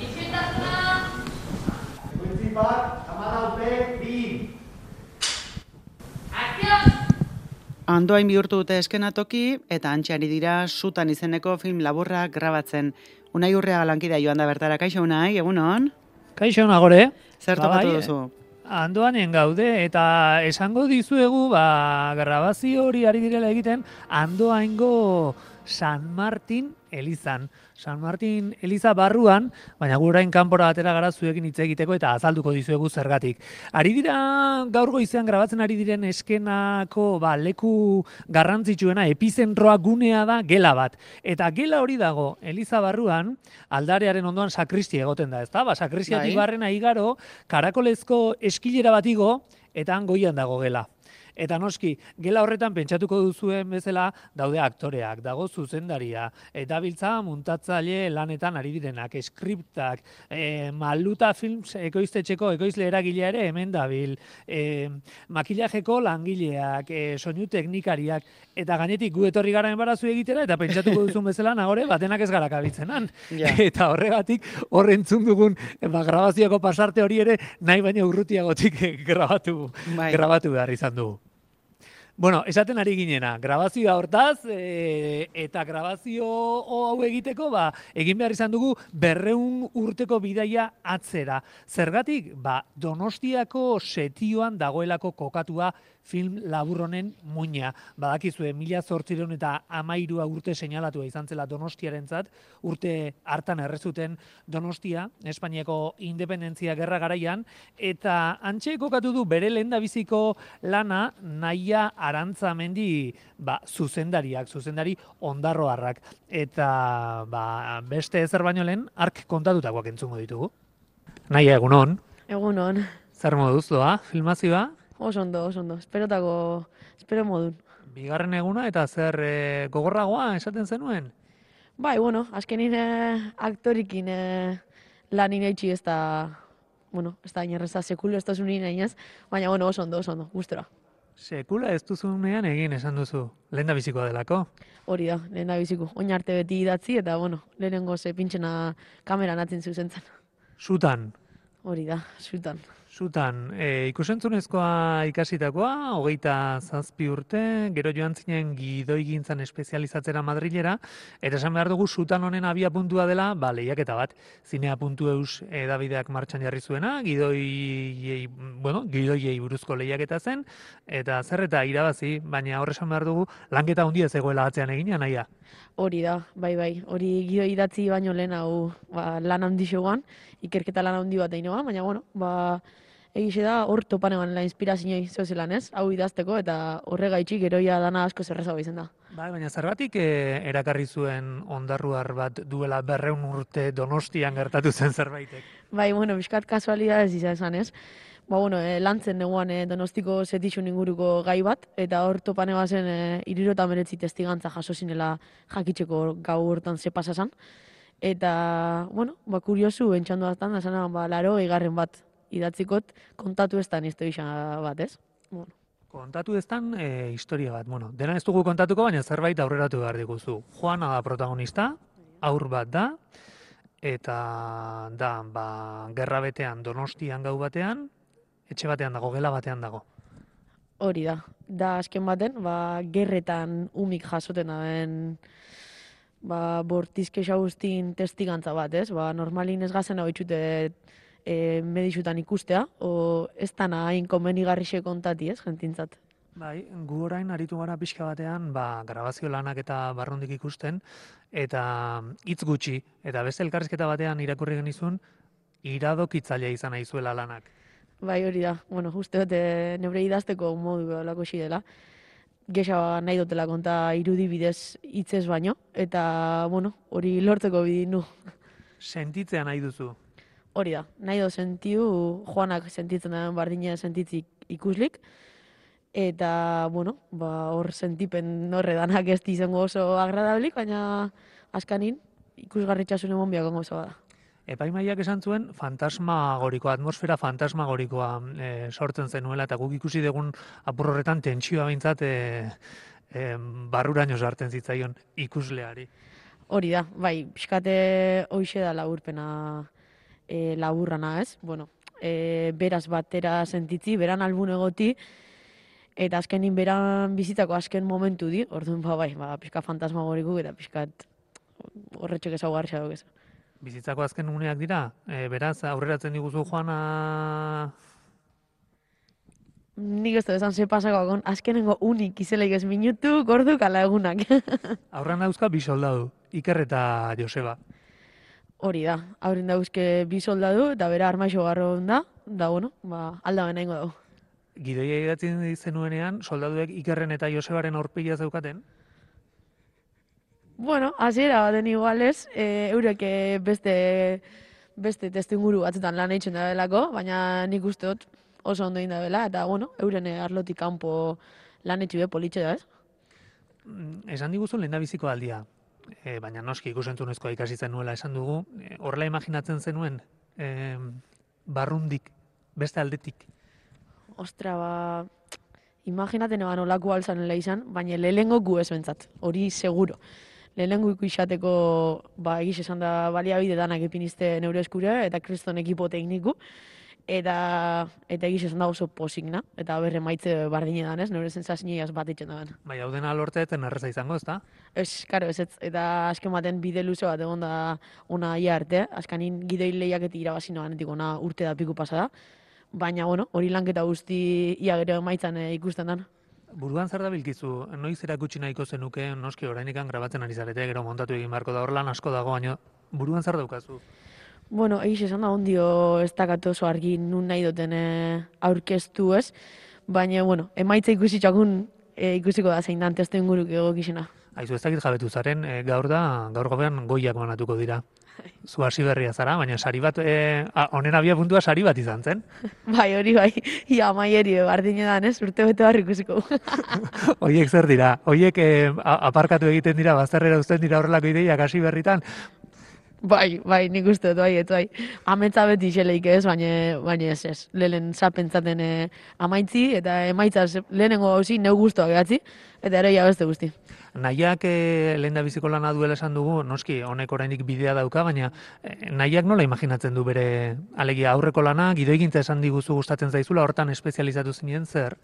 Isiltasuna! Egoitzi bat, 14, 2. Akzio! Andoain bihurtu dute eskenatoki eta antxari dira Sutan izeneko film laburra grabatzen. Unai Urreaga lankidea joan da bertara. Kaixo Unai, egunon? Kaixo nagore. Zer topatu duzu? Andoanen gaude eta esango dizuegu grabazio hori ari direla egiten Andoaingo San Martin elizan. San Martin eliza barruan, baina gurain kanpora atera gara zuekin hitz egiteko eta azalduko dizuegu zergatik. Ari dira gaur goizean grabatzen ari diren eskenako leku garrantzitsuena, epizentroa gunea da gela bat. Eta gela hori dago eliza barruan, aldarearen ondoan sakristia egoten da, ezta? Sakristiatik barrena igaro, karakolezko eskilera bat igo, eta han goian dago gela. Eta noski, gela horretan pentsatuko duzuen bezala daude aktoreak, dago zuzendaria, eta biltza muntatzaile lanetan ari direnak, skriptak, Maluta Films ekoiztetxeko ekoizle eragilea ere hemen dabil, makillajeko langileak, soinu teknikariak, eta gainetik gu etorri gara enbarazu egitera, eta pentsatuko duzun bezala nagore batenak ez gara kabitzenan. Ja. Eta horregatik hor entzun dugun grabazioko pasarte hori ere nahi baina urrutiagotik grabatu behar izan dugu. Bueno, esaten ari ginena, grabazioa hortaz, eta grabazio hau egiteko, egin behar izan dugu 200 urteko bidaia atzera. Zergatik, Donostiako setioan dagoelako kokatua film laburronen muina. Badakizue, 1813 urte seinalatua izan zela Donostiarentzat, urte hartan errezuten Donostia, Espainiako independentzia gerra garaian, eta antxe kokatu du bere lehendabiziko lana Naia Arantzamendi zuzendari ondarroarrak. Eta beste ezer baino lehen, ark kontatutakoak entzungo ditugu. Naia, egunon. Egunon. Zer moduz doa, filmazioa? Oso ondo. Espero modun. Bigarren eguna eta zer gogorragoa esaten zenuen? Bai, azkenin aktorikin lan inaitxi ez da, ez da inerreza sekulu ez da zunin ainaz, baina oso ondo, gustora. Sekula ez duzunean egin esan duzu, lehendabizikoa delako? Hori da, lehendabiziko. Oin arte beti idatzi eta, lehenengo ze pintxena kameran atzen zuzentzen. Sutan? Hori da, Sutan. Sutan, ikusentzunezkoa ikasitakoa, 27 urte, gero joan zinen gidoigintzan espezializatzera Madrilera, eta esan behar dugu Sutan honen abia puntua dela, lehiaketa bat, zinea.eus edabideak martxan jarri zuena, gidoiei buruzko lehiaketa zen, eta zer eta irabazi, baina horre esan behar dugu, lanketa handia zegoela atzean egina, Naia. Hori da, bai, hori gidoi idatzi baino lehen hau lan handi xoan, ikerketa lan handi bat egin baina, egize da, hor topan egon la inspirazioi zozelan ez, hau idazteko eta horregaitxik geroia dana asko zerrezago izan da. Bai, baina zergatik erakarri zuen ondarruar bat duela 200 urte Donostian gertatu zen zerbaitek? Bai, bizkat kasualidadez izan ez. Lantzen neguan Donostiko setixun inguruko gai bat, eta hor topan egon zen 69 testigantza jaso zinela jakitzeko gau hortan ze pasazan. Eta, kuriosu entxandu aztan, da zena, 80 bat idatzikot kontatu ez da nizte bat, ez? Kontatu ez dan historia bat. Dena ez dugu kontatuko, baina zerbait aurreratu behar diguzu. Juana da protagonista, haur bat da, eta da, gerra betean Donostian gau batean, etxe batean dago, gela batean dago. Hori da. Da azken baten, gerretan umik jasoten daben bortizke xagustin testigantza bat, ez? Normalin ez gazen hau itxute medixutan ikustea, o ez dana hain komenigarrixe kontati, ez, jentintzat. Bai, gu orain aritu gara pixka batean, grabazio lanak eta barrundik ikusten, eta hitz gutxi, eta beste elkarrizketa batean irakurri genizun, iradokitzailea izan nahi zuela lanak. Bai, hori da. Uste dut, neure idazteko modu lako dela. Gesa nahi dutela konta irudi bidez hitzez baino, eta, hori lortzeko bidin du. Sentitzea nahi duzu? Hori da, nahi do sentiu, Joanak sentitzen da bardina sentitzik ikuslik, eta, hor sentipen horredanak ez izango oso agradablik, baina askanin ikusgarritxasun emon biako gauza bada. Epaimaiak esan zuen fantasmagorikoa, atmosfera fantasmagorikoa sortzen zenuela, eta guk ikusi dugun apur horretan tentsioa behintzat barruraino sartzen zitzaion ikusleari. Hori da, bai, pixkate hoxe da laburpena laburrana, ez? Bueno, beraz batera sentitzi, beran albun egoti, eta azkenin beran bizitako azken momentu di, orduan bai, pixka fantasmagoriku eta pixkat horretxek ezaugarria duk ez. Bizitzako azken uneak dira, beraz, aurreratzen diguzu joana... Nik ez da esan ze pasako, azkenengo unik izeleik ez minutu, gorduk ala egunak. Aurrean dauzka bi soldadu, Iker eta Joseba. Hori da, aurren dauzke bi soldadu eta bera armaixo garro da, bueno, alda benaingo dago. Gidoia idatzen zenuenean, soldaduek Ikerren eta Josebaren aurpegia zeukaten? Bueno, hasiera baten igualez, eurek beste testuinguru batzutan lan eitzen da belako, baina nik uste dut oso ondo inda bela, eta bueno, euren arlotik kanpo lan etxi be politxe da, ez? Esan diguzu lehendabiziko aldia, baina noski ikusentzunezkoa ikasi zenuela esan dugu, horrela imaginatzen zenuen, barrundik, beste aldetik. Ostra, imaginaten eban olako alzanela izan, baina lehengo gu ez bentzat, hori seguro. Lehengo ikisateko, egiz esan da baliabide danak epinizte neure eskure, eta kriston ekipo tekniku, eta egiz esan da oso posikna, eta berre maitze bardine danez, neure zentzaziniaz bat itxen daben. Bai, hau dena lorteetan erreza izango, ezta? Ez, karo, ez, eta azken baten bide luze bat egon da ona ia arte, azkanin gidoi lehiaketi irabazi noanetik ona urte da piku pasada, baina, bueno, hori lanketa guzti ia gero emaitzan ikusten dan. Buruan zer da bilkizu, noiz erakutsi nahiko zenuke, noski orainikan grabatzen ari zarete, gero montatu egin beharko da, hor lan asko dago, baina buruan zer daukazu? Bueno, egiz esan da ondio ez dakat oso argi nun nahi duten aurkeztu ez, baina, bueno, emaitza ikusiko da zein dan testu inguruk egokizena. Aizu, ez dakit jabetu zaren, gaur gobean goiak banatuko dira. Zu hasi berria zara, baina sari bat, honen abia puntua sari bat izan zen. Bai, hori bai, ia maieri bardine dan ez, urte bete barri ikusiko. Oiek zer dira? Oiek aparkatu egiten dira, bazterrera uzten dira horrelako ideiak hasi berritan? Bai, nik uste dut, bai. Ametza beti xeleik ez, baina ez. Lehen zapentzaten amaitzi, eta emaitzaz lehenengo hauzi neu guztuak egatzi, eta ere beste guzti. Nahiak lehendabiziko lana duela esan dugu, noski, honek orainik bidea dauka, baina nahiak nola imaginatzen du bere alegia aurreko lana, gidoigintza esan diguzu gustatzen zaizula, hortan espezializatu zinien zer?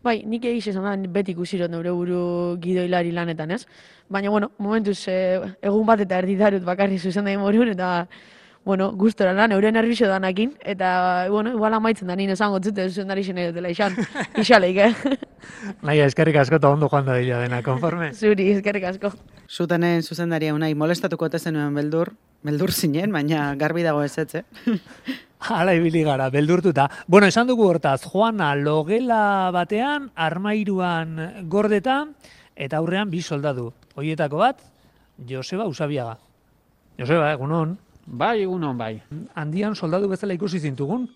Bai, nik egiz esan da beti ikusirot neure buru gidoilari lanetan, ez? Baina, bueno, momentuz egun bat eta erditarut bakarri zuzen da morun, eta, bueno, gustora lan, neure nervixo danakin, eta, bueno, igual amaitzen da nien esango zute zuzendari xene dutela isaleik, Naia, eskerrik asko eta ondo joan da dila dena, konforme? Zuri, eskerrik asko. Zutanen zuzendaria unai, molestatuko zenuen beldur zinen, baina garbi dago ez ez, Hala ibili gara, beldurtuta. Bueno, esan dugu hortaz, Juana logela batean, armairuan gordeta, eta aurrean bi soldadu. Hoietako bat, Joseba Usabiaga. Joseba, egunon. Bai, egunon, bai. Handian soldadu bezala ikusi zintugun.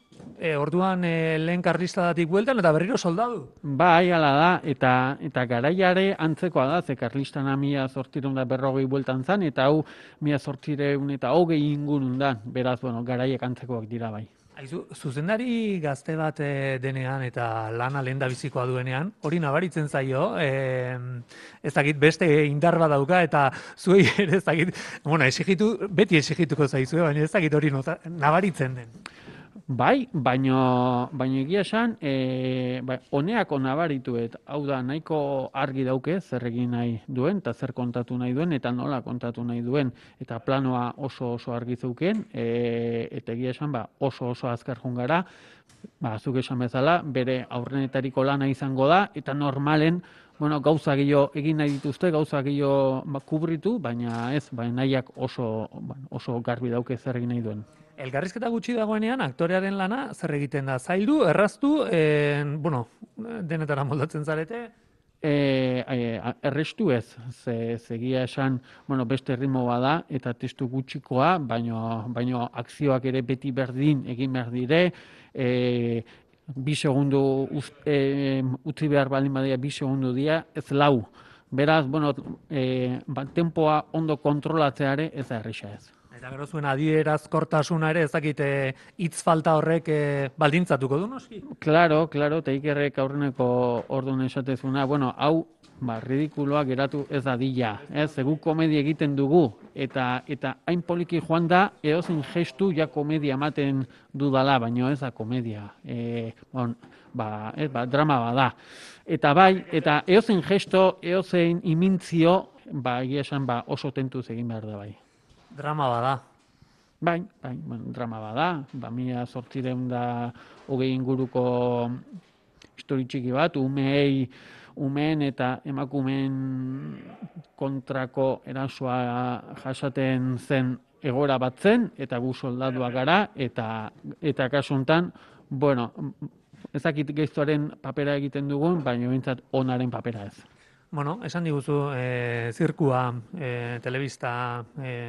Orduan lehen karlistadatik bueltan eta berriro soldadu. Bai, ala da, eta garaiare antzekoa da, ze karlistana 1840 bueltan zan, eta hau 1820 ingurun da, beraz, bueno, garaiek antzekoak dira bai. Aizu, zuzendari gazte bat denean eta lana lehendabizikoa duenean, hori nabaritzen zaio, ez dakit beste indar bat dauka eta zuei ere ez dakit, bueno, beti exigituko zaizue, baina ez dakit hori nabaritzen den. Bai, baino egia esan, honeako nabarituet, hau da, nahiko argi dauke zer egin nahi duen, eta zer kontatu nahi duen, eta nola kontatu nahi duen, eta planoa oso argi zeuken, eta egia esan, oso azkar jungara, zuk esan bezala, bere aurrenetariko lana izango da, eta normalen, bueno, gauza gehiago egin nahi dituzte, gauza gehiago kubritu, baina ez, nahiak oso garbi dauke zer egin nahi duen. Elkarrizketa gutxi dagoenean, aktorearen lana zer egiten da? Zaildu, erraztu, bueno, denetara moldatzen zarete? Errestu ez, zegia esan, bueno, beste ritmo bada eta testu gutxikoa, baino akzioak ere beti berdin egin behar dire, 2 segundu utzi behar baldin badia 2 segundu dira, ez 4. Beraz, bueno, tempoa ondo kontrolatzeare ez da erresa ez. Eta gero zuen adierazkortasuna ere, ez dakit hitz falta horrek baldintzatuko du, noski? Claro, eta Ikerrek aurreneko orduan esatezuna, bueno, hau ridikuloa geratu ez dadila, gu komedia egiten dugu, eta hain poliki joan da, edozein gestu ja komedia ematen dudala, baino ez da komedia, drama bada. Eta bai, eta edozein gesto, edozein imintzio, egia esan oso tentuz egin behar da bai. Drama bada. Bai, drama bada, 1820 inguruko histori txiki bat, umeen eta emakumeen kontrako erasoa jasaten zen egoera bat zen, eta gu soldaduak gara, eta kasu honetan, bueno, ezakit geiztuaren papera egiten dugun, baina bintzat onaren papera ez. Bueno, esan diguzu, zirkua, telebista,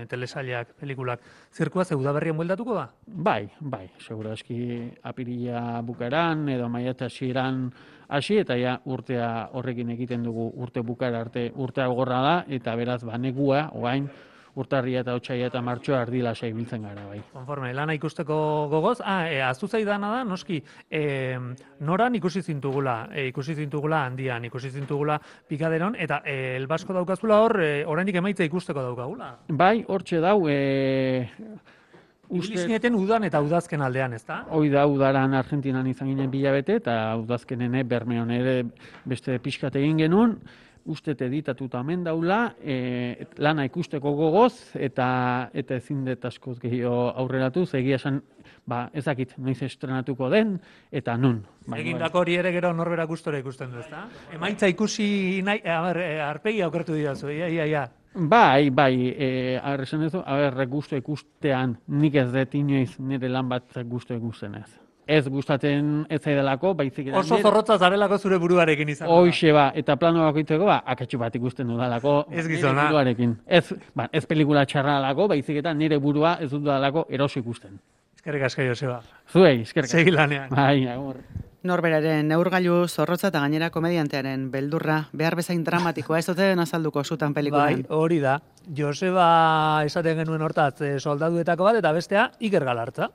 telesailak, pelikulak, zirkua ze udaberrien bueltatuko da? Bai, segura eski apirila bukaeran, edo maiatza hasieran hasi, eta ja urtea horrekin egiten dugu urte bukaera arte urtea gorra da, eta beraz negua, oain, urtarria eta otsaila eta martxoa ardila ibiltzen gara, bai. Konforme, lana ikusteko gogoz, ahaztu zaidana da, noski, noran ikusi zintugula handian, ikusi zintugula pikaderon, eta elbasko daukazula hor, oraindik emaitza ikusteko daukagula. Bai, hortxe dau, Ibili udan eta udazken aldean, ez da? Hoi da, udaran Argentinan izan ginen bilabete, eta udazkenen Bermeon ere beste pixkat egin genuen, uste editatuta hemen daula, lana ikusteko gogoz, eta ezin dut askoz gehiago aurreratu, egia esan, ezakit, noiz estrenatuko den, eta nun. Egindako hori ere gero norberak gustora ikusten du, ez da? Emaitza ikusi nahi, arpegi aukertu didazu, ia. Bai, arrezen ez du, gustu ikustean nik ez dut inoiz nire lan bat gustu ikusten ez. Ez gustatzen ez zaidalako, baizik eta... Oso zorrotza zarelako zure buruarekin izan. Hoixe eta plano bakoitzeko, akatxu bat ikusten dudalako ez gizona. Buruarekin. Ez pelikula txarra dalako, baizik eta nire burua ez dudalako eroso ikusten. Eskerrik asko, Joseba. Zuei, eskerrik asko. Segi lanean. Bai, agur. Norberaren neurgailu zorrotza eta gainera komediantearen beldurra, behar bezain dramatikoa, ez dute azalduko zutan pelikulan. Bai, hori da. Joseba esaten genuen hortaz soldaduetako bat, eta bestea Iker Galartza.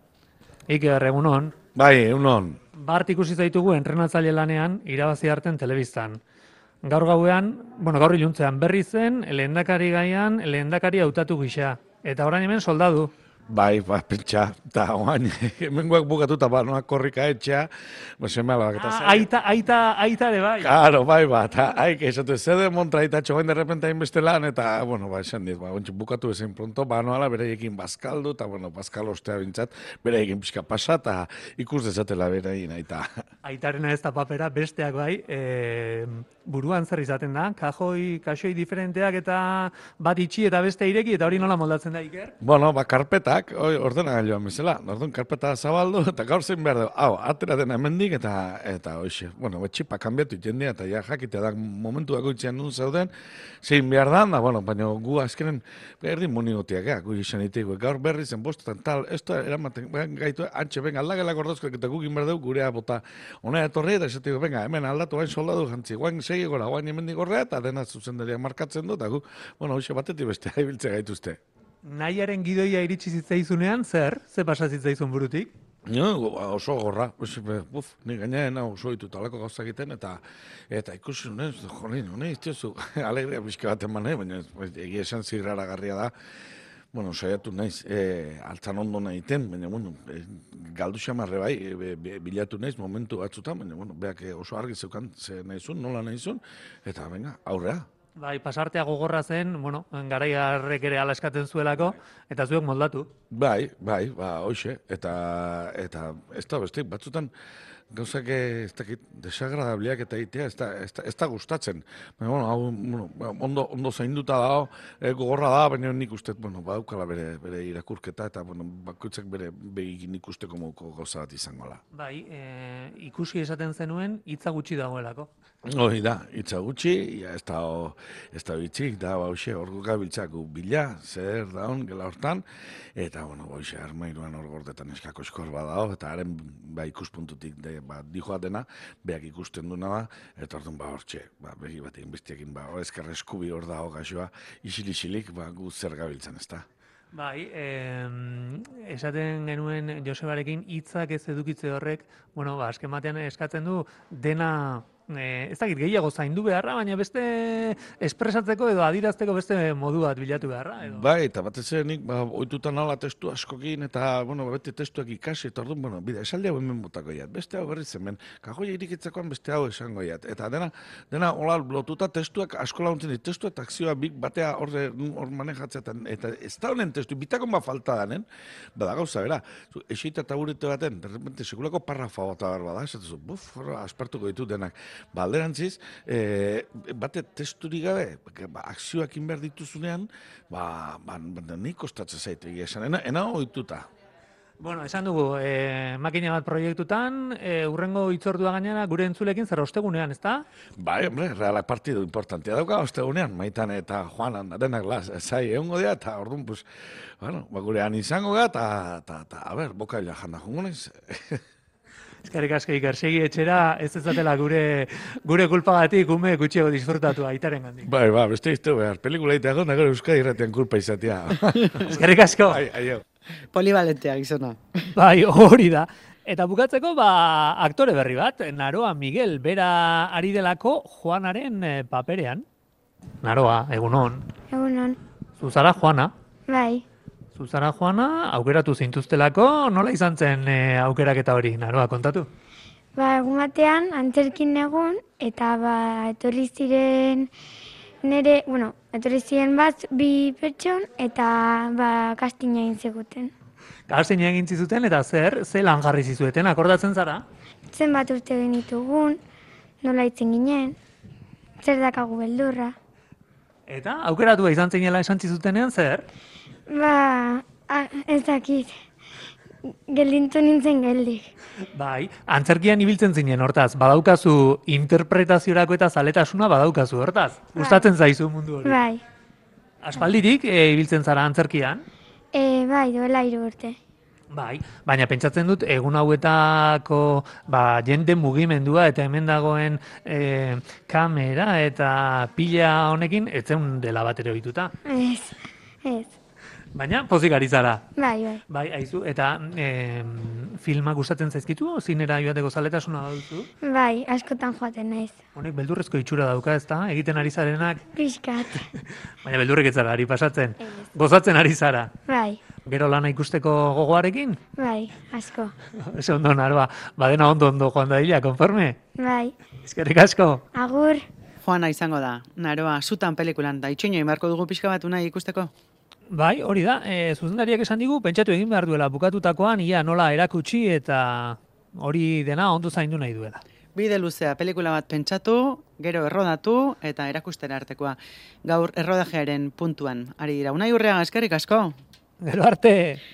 Iker, egunon. Bai, egunon. Bart ikusi zaitugu entrenatzaile lanean irabazi arten telebistan. Gaur gauean, gaur iluntzean berri zen, lehendakari gaian, lehendakari hautatu gisa. Eta orain hemen soldadu. Bai, pentsa, eta oain, hemengoak bukatuta, noak korrika etxea, seme alabak eta zer. Aita ere bai. Claro, bai, eta haik, esatu, zede montra eta txogain derrepente hainbeste lan, eta, esan dit, bukatu ezin pronto, noala bereiekin bazkaldu, eta, bazkal ostea bintzat, bereiekin pixka pasa, eta ikus dezatela bereien, aita. Aitarena ez da papera, besteak bai, buruan zer izaten da, kaxoi diferenteak eta bat itxi eta beste ireki, eta hori nola moldatzen da, Iker? Karpetak, ordenagailuan bezala, orduan karpeta zabaldu, eta gaur zein behar dugu, atera dena hemendik, eta hoxe, txipa kanbiatu jendia, eta ja jakitea da momentu dagoitzean nun zauden, zein behar da, baina gu azkenen berdin monigotiak, gu izan iteko, gaur berri zen bostetan, tal, ez da, eramaten gaitu, antxe, venga, aldagela gordozkoak, eta guk inber dugu gurea bota, hona etorri, eta esatiko, venga, hemen aldatu, hain soldadu jantzi, guain segi gora, guain hemendik gorrea, eta dena zuzendariak markatzen du, eta gu, hoxe batetik beste, haibiltze gaituzte. Nahiaren gidoia iritsi zitzaizunean, zer pasa zitzaizun burutik? Oso gorra, ni gainean oso ditu talako gauza egiten, eta ikusi nuen, iztiozu, alegria pixka bat eman, baina egia esan zirraragarria da, saiatu naiz, altzan ondo nahiten, baina, galdu xamarre bai, bilatu naiz momentu batzutan, baina, beak oso argi zeukan, ze nahizun, nola nahizun, eta, venga, aurrea. Bai, pasartea gogorra zen, garaiarrek ere ala eskatzen zuelako, eta zuek moldatu. Bai, hoxe, eta ez da bestik, batzutan gauzak ez dakit desagradabliak eta itea ez da gustatzen. Ondo zainduta dago, gogorra da, baina nik uste, badaukala bere irakurketa, eta bakoitzak bere begin ikusteko moduko gauza bat izangola. Bai, ikusi esaten zenuen, hitza gutxi dagoelako. Hori da, hitza gutxi, ez da bitxik, da, hauxe, orgo gabiltzako bila, zer daun, gela hortan, eta, hauxe, armairuan hor gordetan eskako eskor badao, eta haren, ikuspuntutik, dijoa dena, beak ikusten duna da, eta orduan, hortxe, begi batekin, bestiekin, ezkerra eskubi hor dago gaxoa, isil-isilik, gu zer gabiltzan, ez da. Bai, esaten genuen Josebarekin hitzak ez edukitze horrek, bueno, azken batean eskatzen du dena ez dakit gehiago zaindu beharra, baina beste espresatzeko edo adirazteko beste modu bat bilatu beharra. Edo. Bai, eta batez ere nik ohituta nala testu askokin, eta, bueno, beti testuak ikasi, eta orduan, bueno, bide, esaldi hau hemen botako jat, beste hau berriz hemen, kajoia irikitzekoan beste hau esango jat, eta dena hola lotuta testuak asko laguntzen dit, testu eta akzioa bik batea hor manejatzea, eta ez da honen testu, bitakon bat falta danen, bada gauza, bera, esita eta burete baten, de repente, sekulako parrafa bat abar bada, esatuzu, aspartuko ditut denak, alderantziz, bate testurik gabe, akzioak inber dituzunean, nik kostatzen zaitu egia esan, ena ohituta. Bueno, esan dugu, makina bat proiektutan, urrengo hitzordua gainera gure entzulekin zer ostegunean, ezta? Bai, hombre, realak partidu importantia dauka ostegunean, Maitan eta Juanan, denak zai egongo dira, eta orduan, pues, bueno, gurean izango ga, eta, a ber, bokaila janda jongo naiz. Eskerrik asko Iker, segi etxera, ez ezatela gure kulpagatik ume gutxiago disfrutatu aitaren gandik. Bai, beste iztu behar, pelikula ite agon, gero Euskadi irratian kulpa izatea. Eskerrik asko. Aio. Polivalentea gizona. Bai, hori da. Eta bukatzeko, aktore berri bat, Naroa Miguel, bera ari delako Juanaren paperean. Naroa, egunon. Egunon. Zuzara Juana. Bai. Zuzara Juana, aukeratu zintuztelako, nola izan zen aukeraketa hori, Naroa, kontatu? Egun batean, antzerkin egun, eta etorri ziren etorri ziren bat, bi pertson, eta kastina egin zeguten. Kastina egin zizuten, eta ze lan jarri zizueten, akordatzen zara? Zenbat urte egin ditugun, nola itzen ginen, zer dakagu beldurra. Eta, aukeratu izan zinela esan zizutenean, zer? Ez dakit, geldintu nintzen geldik. Bai, antzerkian ibiltzen zinen hortaz, badaukazu interpretaziorako eta zaletasuna badaukazu hortaz. Gustatzen zaizu mundu hori. Bai. Aspaldirik ibiltzen zara antzerkian? Bai, duela 3 urte. Bai, baina pentsatzen dut egun hauetako jende mugimendua eta hemen dagoen kamera eta pila honekin etzen dela bat ere ohituta. Ez. Baina pozik ari zara. Bai. Bai, aizu, eta filma gustatzen zaizkitu, zinera joateko zaletasuna duzu? Bai, askotan joaten naiz. Honek beldurrezko itxura dauka, ezta? Egiten ari zarenak. Pixkat. Baina beldurrek ez zara ari pasatzen. Gozatzen ari zara. Bai. Gero lana ikusteko gogoarekin? Bai, asko. Ese ondo, Naroa. Badena ondo joan da dila, konforme? Bai. Eskerrik asko. Agur. Juana izango da, Naroa, zutan pelikulan, da itxoinoi marko dugu pixka bat unai ikusteko? Bai, hori da, zuzendariak esan digu, pentsatu egin behar duela bukatutakoan, ia nola erakutsi eta hori dena ondo zaindu nahi duela. Bide luzea, pelikula bat pentsatu, gero errodatu eta erakustera artekoa. Gaur errodajearen puntuan, ari dira. Unai Urreaga, eskerrik asko. Gero arte!